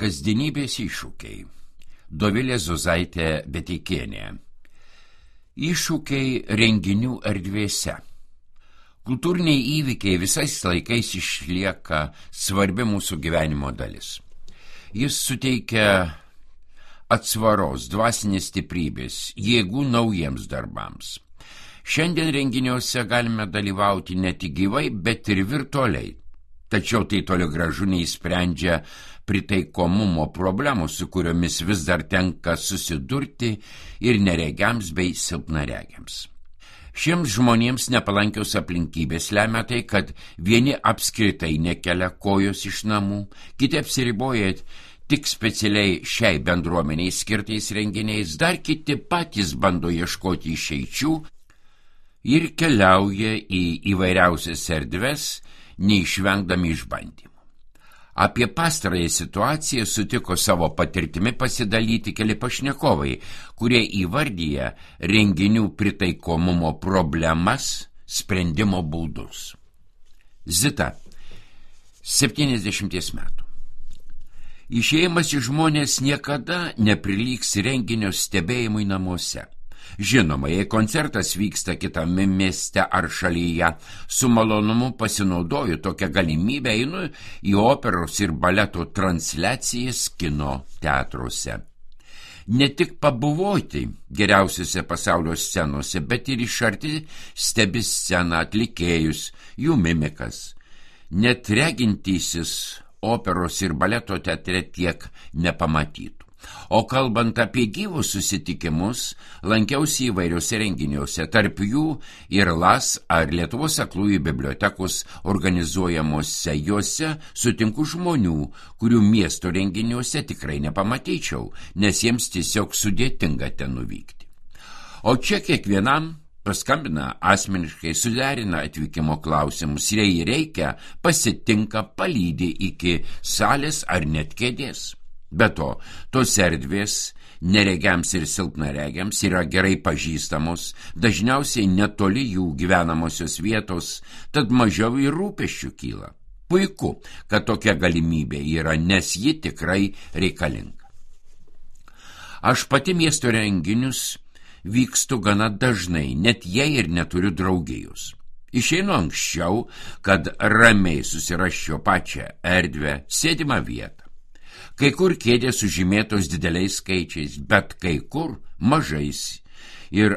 Kasdienybės iššūkiai. Dovilė Zuzaitė Beteikienė. Iššūkiai renginių erdvėse. Kultūriniai įvykiai visais laikais išlieka svarbi mūsų gyvenimo dalis. Jis suteikia atsvaros, dvasinės stiprybės, jėgų naujiems darbams. Šiandien renginiuose galime dalyvauti ne tik gyvai, bet ir virtualiai. Tačiau tai toli gražu neįsprendžia pritaikomumo problemų, su kuriomis vis dar tenka susidurti ir neregiams bei silpnaregiams. Šiems žmonėms nepalankios aplinkybės lemia tai, kad vieni apskritai nekelia kojos iš namų, kiti apsiriboja tik specialiai šiai bendruomeniai skirtais renginiais, dar kiti patys bando ieškoti išeičių ir keliauja į įvairiausias erdves, neišvengdami išbandymų. Apie pastarąją situaciją sutiko savo patirtimi pasidalyti keli pašnekovai, kurie įvardyja renginių pritaikomumo problemas, sprendimo būdus. Zita, 70 metų. Išėjimas į žmonės niekada neprilygs renginio stebėjimui namuose. Žinoma, jei koncertas vyksta kitame mieste ar šalyje, su malonumu pasinaudoju tokią galimybę, einu į operos ir baleto transliacijas kino teatruose. Ne tik pabuvoti geriausiose pasaulio scenose, bet ir iš arti stebi sceną, atlikėjus, jų mimikas. Net regintysis operos ir baleto teatre tiek nepamatytų. O kalbant apie gyvus susitikimus, lankiausi įvairiuose renginiuose, tarp jų ir LAS ar Lietuvos aklųjų bibliotekos organizuojamuose. Juose sutinku žmonių, kurių miesto renginiuose tikrai nepamatyčiau, nes jiems tiesiog sudėtinga ten nuvykti. O čia kiekvienam paskambina asmeniškai, suderina atvykimo klausimus, jei reikia, pasitinka, palydi iki salės ar net kėdės. Be to, tos erdvės neregiams ir silpnaregiams yra gerai pažįstamos, dažniausiai netoli jų gyvenamosios vietos, tad mažiau ir rūpesčių kyla. Puiku, kad tokia galimybė yra, nes ji tikrai reikalinga. Aš pati miesto renginius vykstu gana dažnai, net jei ir neturiu draugijos. Išeinu anksčiau, kad ramiai susirasčiau pačią erdvę, sėdimą vietą. Kai kur kėdės sužymėtos dideliais skaičiais, bet kai kur mažais ir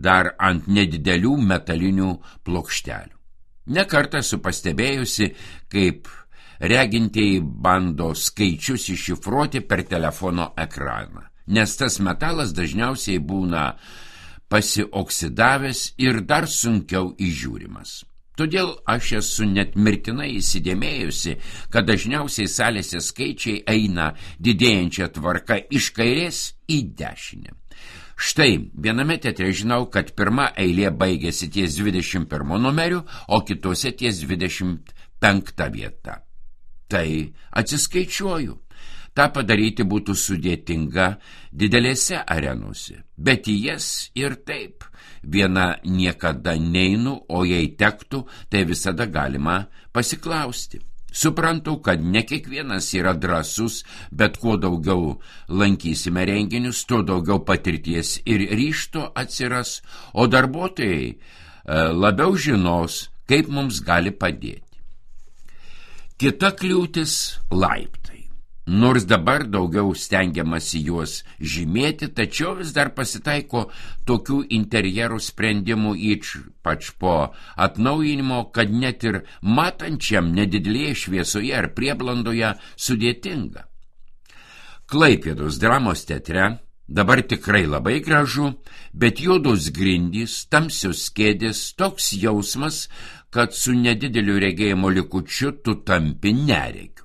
dar ant nedidelių metalinių plokštelių. Nekartą esu pastebėjusi, kaip regintieji bando skaičius iššifruoti per telefono ekraną, nes tas metalas dažniausiai būna pasioksidavęs ir dar sunkiau įžiūrimas. Todėl aš esu net mirtinai įsidėmėjusi, kad dažniausiai salėse skaičiai eina didėjančia tvarka iš kairės į dešinę. Štai, viename teatre žinau, kad pirma eilė baigėsi ties 21 numeriu, o kitose ties 25 vieta. Tai atsiskaičiuoju. Ta padaryti būtų sudėtinga didelėse arenose, bet į jas ir taip. Viena niekada neinu, o jei tektų, tai visada galima pasiklausti. Suprantu, kad ne kiekvienas yra drąsus, bet kuo daugiau lankysime renginius, tuo daugiau patirties ir ryžto atsiras, o darbuotojai labiau žinos, kaip mums gali padėti. Kita kliūtis – laiptai. Nors dabar daugiau stengiamasi juos žymėti, tačiau vis dar pasitaiko tokių interjerų sprendimų, ypač po atnaujinimo, kad net ir matančiam nedidelėje šviesoje ar prieblandoje sudėtinga. Klaipėdos dramos teatre dabar tikrai labai gražu, bet juodos grindys, tamsios kėdės, toks jausmas, kad su nedideliu regėjimo likučiu tu tampi neregiu.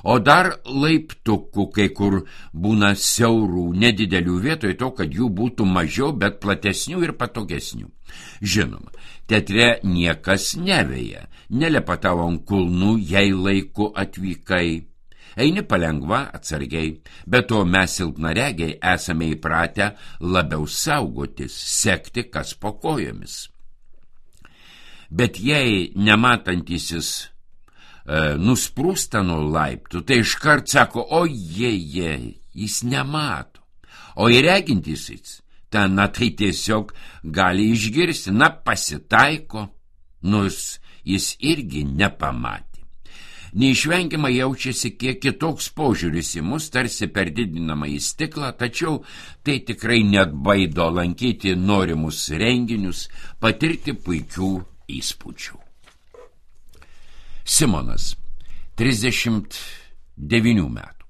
O dar laiptukų kai kur būna siaurų, nedidelių vietoj to, kad jų būtų mažiau, bet platesnių ir patogesnių. Žinoma, teatre niekas neveja, nelepa tavo ant kulnų, jei laiku atvykai. Eini palengva, atsargiai, bet to mes silpnaregiai esame įpratę labiau saugotis, sekti kas po kojomis. Bet jei nematantysis nusprūsta nuo laiptų, tai iškart sako, ojeje, jis nemato. O įregintysis, na tai tiesiog gali išgirsti, pasitaiko, nors jis irgi nepamatė. Neišvengiamai jaučiasi kiek kitoks požiūris į mus, tarsi per didinamą į stiklą, tačiau tai tikrai neatbaido lankyti norimus renginius, patirti puikių įspūdžių. Simonas, 39 metų.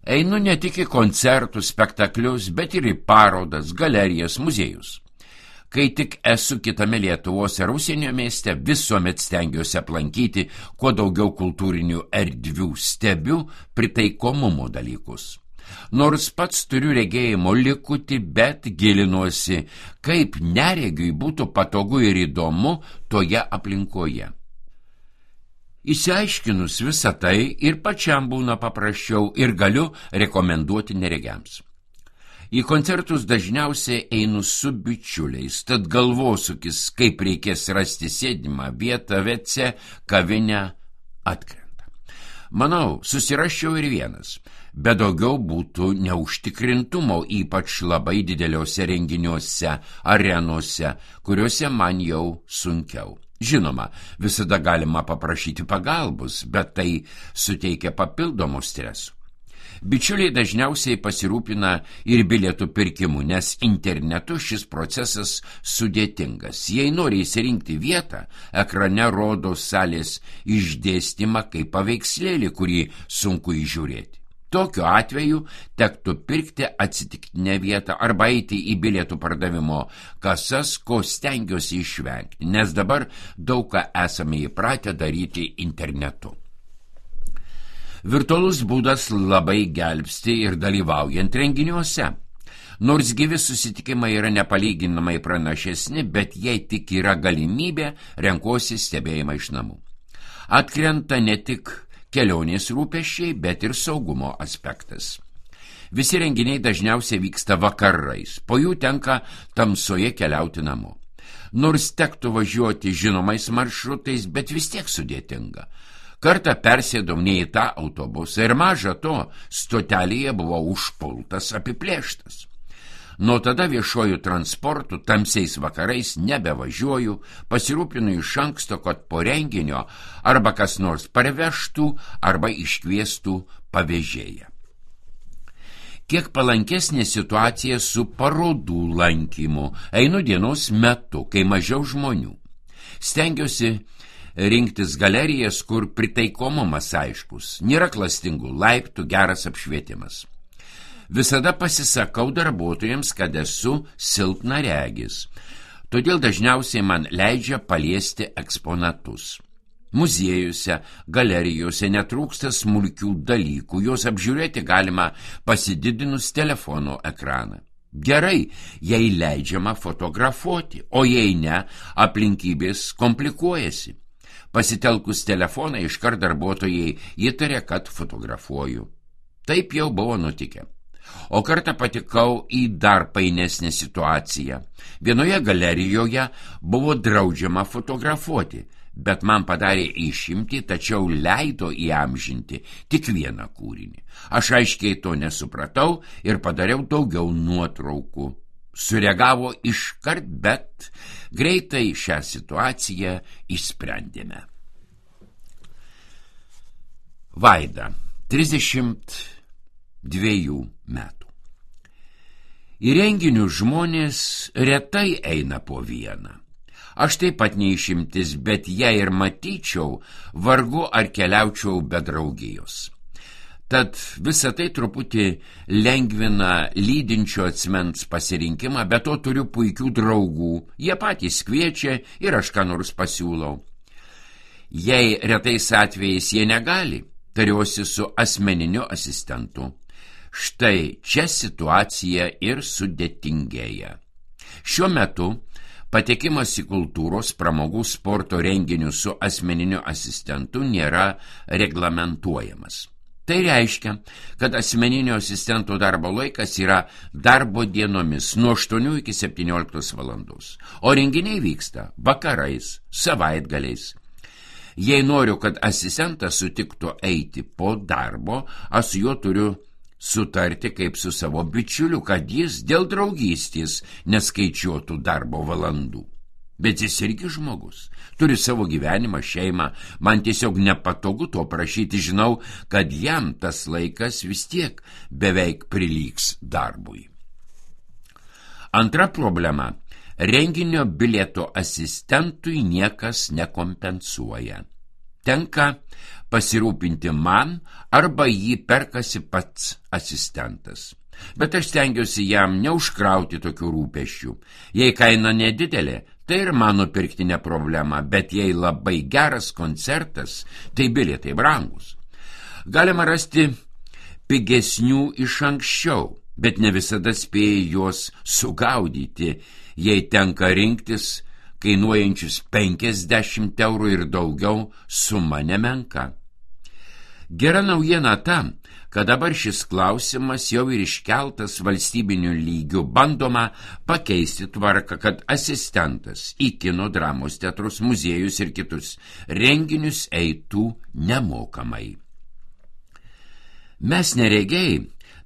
Einu ne tik į koncertus, spektaklius, bet ir į parodas, galerijas, muziejus. Kai tik esu kitame Lietuvos ar užsienio mieste, visuomet stengiuosi aplankyti kuo daugiau kultūrinių erdvių, stebiu pritaikomumo dalykus. Nors pats turiu regėjimo likutį, bet gilinuosi, kaip neregiui būtų patogu ir įdomu toje aplinkoje. Išsiaiškinus visą tai ir pačiam būna paprasčiau ir galiu rekomenduoti neregiams. Į koncertus dažniausiai einu su bičiuliais, tad galvosūkis, kaip reikės rasti sėdimą vietą, WC, kavinę, atkrenta. Manau, susiraščiau ir vienas, bet daugiau būtų neužtikrintumo, ypač labai dideliuose renginiuose, arenose, kuriuose man jau sunkiau. Žinoma, visada galima paprašyti pagalbos, bet tai suteikia papildomų stresų. Bičiuliai dažniausiai pasirūpina ir bilietų pirkimu, nes internetu šis procesas sudėtingas. Jei nori įsirinkti vietą, ekrane rodo salės išdėstymą kaip paveikslėlį, kurį sunku įžiūrėti. Tokiu atveju tektų pirkti atsitiktinę vietą arba eiti į bilietų pardavimo kasas, ko stengiuosi išvengti, nes dabar daug ką esame įpratę daryti internetu. Virtualus būdas labai gelbsti ir dalyvaujant renginiuose. Nors gyvi susitikimai yra nepalyginamai pranašesni, bet jei tik yra galimybė, renkuosi stebėjimą iš namų. Atkrenta ne tik kelionės rūpesčiai, bet ir saugumo aspektas. Visi renginiai dažniausiai vyksta vakarais, po jų tenka tamsoje keliauti namo. Nors tektų važiuoti žinomais maršrutais, bet vis tiek sudėtinga. Kartą persėdau ne į tą autobusą ir maža to, stotelėje buvau užpultas, apiplėštas. Nuo tada viešuoju transportu tamsiais vakarais nebevažiuoju, pasirūpinu iš anksto, kad po renginio arba kas nors parvežtų arba iškviestų pavežėją. Kiek palankesnė situacija su parodų lankymu. Einu dienos metu, kai mažiau žmonių. Stengiuosi rinktis galerijas, kur pritaikomumas aiškus, nėra klastingų laiptų, geras apšvietimas. Visada pasisakau darbuotojams, kad esu silpnaregis, todėl dažniausiai man leidžia paliesti eksponatus. Muziejuose, galerijose netrūksta smulkių dalykų, juos apžiūrėti galima pasididinus telefono ekraną. Gerai, jei leidžiama fotografuoti, o jei ne, aplinkybės komplikuojasi. Pasitelkus telefoną iškart darbuotojai įtarė, kad fotografuoju. Taip jau buvo nutikę. O kartą patikau į dar painesnę situaciją. Vienoje galerijoje buvo draudžiama fotografuoti, bet man padarė išimtį, tačiau leido įamžinti tik vieną kūrinį. Aš aiškiai to nesupratau ir padariau daugiau nuotraukų. Sureagavo iškart, bet greitai šią situaciją išsprendėme. Vaida, 32 metų. Į renginius žmonės retai eina po vieną. Aš taip pat neišimtis, bet jei ir matyčiau, vargu ar keliaučiau be draugijos. Tad visą tai truputį lengvina lydinčio asmens pasirinkimą, bet to turiu puikių draugų, jie patys kviečia ir aš ką nors pasiūlau. Jei retais atvejais jie negali, tariuosi su asmeniniu asistentu. Štai čia situacija ir sudėtingėja. Šiuo metu patekimas į kultūros, pramogų, sporto renginius su asmeniniu asistentu nėra reglamentuojamas. Tai reiškia, kad asmeninio asistento darbo laikas yra darbo dienomis nuo 8 iki 17 valandos, o renginiai vyksta vakarais, savaitgaliais. Jei noriu, kad asistentas sutiktų eiti po darbo, aš su juo turiu sutarti kaip su savo bičiuliu, kad jis dėl draugystės neskaičiuotų darbo valandų. Bet jis irgi žmogus, turi savo gyvenimą, šeimą, man tiesiog nepatogu to prašyti, žinau, kad jam tas laikas vis tiek beveik prilygs darbui. Antra problema – renginio bilieto asistentui niekas nekompensuoja. Tenka pasirūpinti man arba jį perkasi pats asistentas. Bet aš stengiuosi jam neužkrauti tokių rūpesčių. Jei kaina nedidelė, tai ir mano pirkti ne problema, bet jei labai geras koncertas, tai bilietai brangus. Galima rasti pigesnių iš anksčiau, bet ne visada spėja juos sugaudyti, jei tenka rinktis kainuojančius 50 eurų ir daugiau, suma nemenka. Gera naujiena ta, kad dabar šis klausimas jau ir iškeltas valstybiniu lygiu, bandoma pakeisti tvarką, kad asistentas į kino, dramos teatrus, muziejus ir kitus renginius eitų nemokamai. Mes neregiai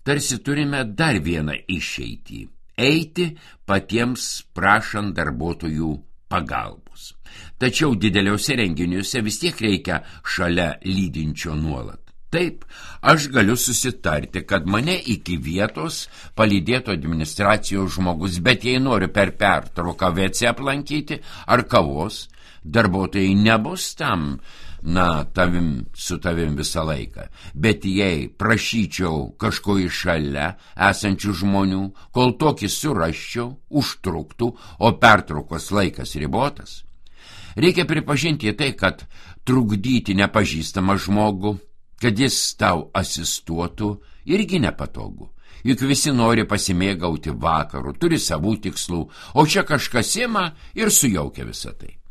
tarsi turime dar vieną išeitį – eiti patiems prašant darbuotojų pagalbos. Tačiau dideliuose renginiuose vis tiek reikia šalia lydinčio nuolat. Taip, aš galiu susitarti, kad mane iki vietos palydėtų administracijos žmogus, bet jei noriu per pertrauką WC aplankyti ar kavos, darbuotojai nebus tam, su tavim visą laiką. Bet jei prašyčiau kažko iš šalia esančių žmonių, kol tokį surasčiau, užtruktų, o pertraukos laikas ribotas. Reikia pripažinti tai, kad trukdyti nepažįstamą žmogų, kad jis tau asistuotų, irgi nepatogu. Juk visi nori pasimėgauti vakaru, turi savų tikslų, o čia kažkas ima ir sujaukia visą tai.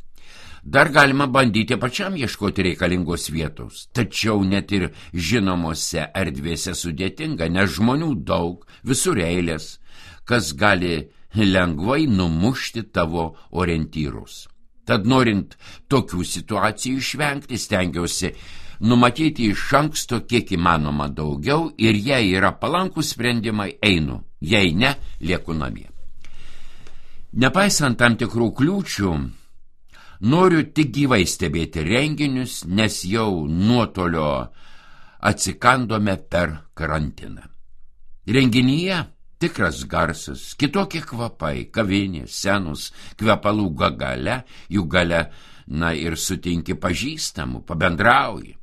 Dar galima bandyti pačiam ieškoti reikalingos vietos, tačiau net ir žinomose erdvėse sudėtinga, nes žmonių daug, visur eilės, kas gali lengvai numušti tavo orientyrus. Tad norint tokių situacijų išvengti, stengiausi numatyti iš anksto kiek įmanoma daugiau ir jei yra palankūs sprendimai, einu, jei ne, lieku namie. Nepaisant tam tikrų kliūčių, noriu tik gyvai stebėti renginius, nes jau nuotolio atsikandome per karantiną. Renginyje tikras garsas, kitokie kvapai, kavinė, scenos, kvepalų gale, jų gale, ir sutinki pažįstamų, pabendrauji.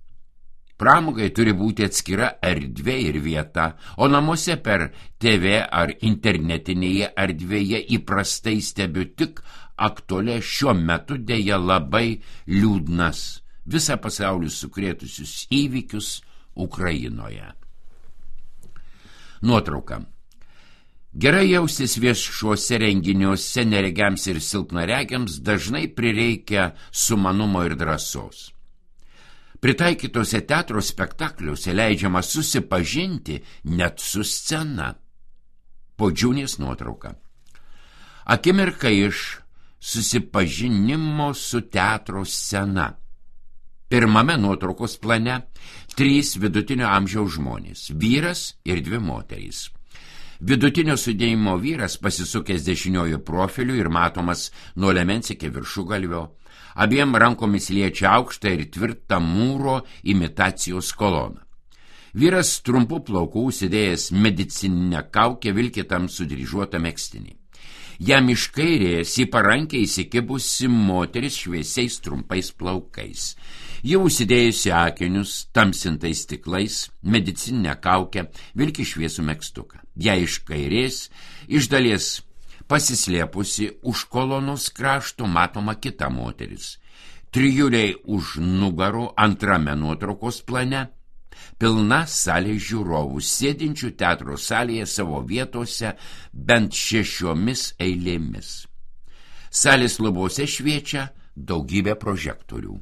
Pramogai turi būti atskira erdvė ir vieta, o namuose per TV ar internetinėje erdvėje įprastai stebiu tik aktualią šiuo metu dėja labai liūdnas visą pasaulį sukrėtusius įvykius Ukrainoje. Nuotrauka. Gerai jaustis viešuose renginiuose neregiams ir silpnaregiams dažnai prireikia sumanumo ir drąsos. Pritaikytose teatro spektakliuose leidžiama susipažinti net su scena. Podžiūnės nuotrauka. Akimirka iš susipažinimo su teatro scena. Pirmame nuotraukos plane 3 vidutinio amžiaus žmonės, vyras ir 2 moterys. Vidutinio sudėjimo vyras pasisukęs dešiniuoju profiliu ir matomas nuo liemens iki viršugalvio. Abiem rankomis liečia aukštą ir tvirtą mūro imitacijos koloną. Vyras trumpų plaukų užsidėjęs medicininę kaukę vilki tamsų dryžuotą megztinį. Jam iš kairės į parankę įsikibusi moteris šviesiais trumpais plaukais. Ji užsidėjusi akinius, tamsintais stiklais, medicininę kaukę, vilki šviesų megztuką. Jai iš kairės, iš dalies pasislėpusi už kolonos krašto matoma kita moteris. Trijuliai už nugarų antrame nuotraukos plane, pilna salė žiūrovų, sėdinčių teatro salėje savo vietose bent 6 eilėmis. Salės lubose šviečia daugybė prožektorių.